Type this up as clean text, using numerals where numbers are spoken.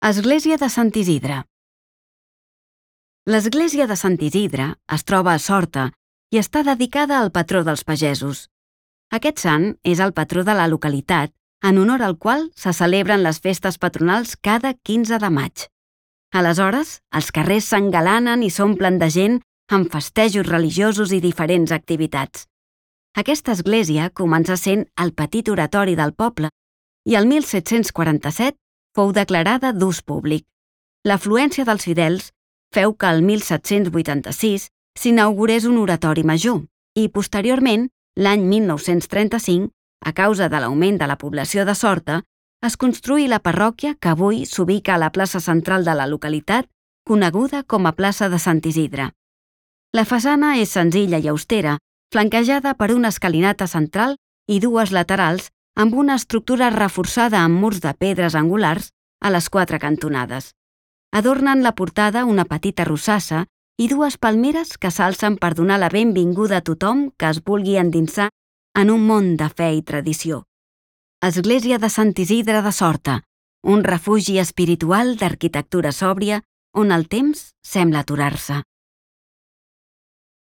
Església de Sant Isidre. L'església de Sant Isidre es troba a Sorta i està dedicada al patró dels pagesos. Aquest sant és el patró de la localitat, en honor al qual se celebren les festes patronals cada 15 de maig. Aleshores, els carrers s'engalanen i s'omplen de gent amb festejos religiosos i diferents activitats. Aquesta església comença sent el petit oratori del poble i el 1747 fou declarada d'ús públic. L'afluència dels fidels feu que el 1786 s'inaugurés un oratori major i, posteriorment, l'any 1935, a causa de l'augment de la població de Sorta, es construí la parròquia que avui s'ubica a la plaça central de la localitat, coneguda com a plaça de Sant Isidre. La façana és senzilla i austera, flanquejada per una escalinata central i dues laterals amb una estructura reforçada amb murs de pedres angulars a les 4 cantonades. Adornen la portada una petita rosassa i dues palmeres que s'alcen per donar la benvinguda a tothom que es vulgui endinsar en un món de fe i tradició. Església de Sant Isidre de Sorta, un refugi espiritual d'arquitectura sòbria on el temps sembla aturar-se.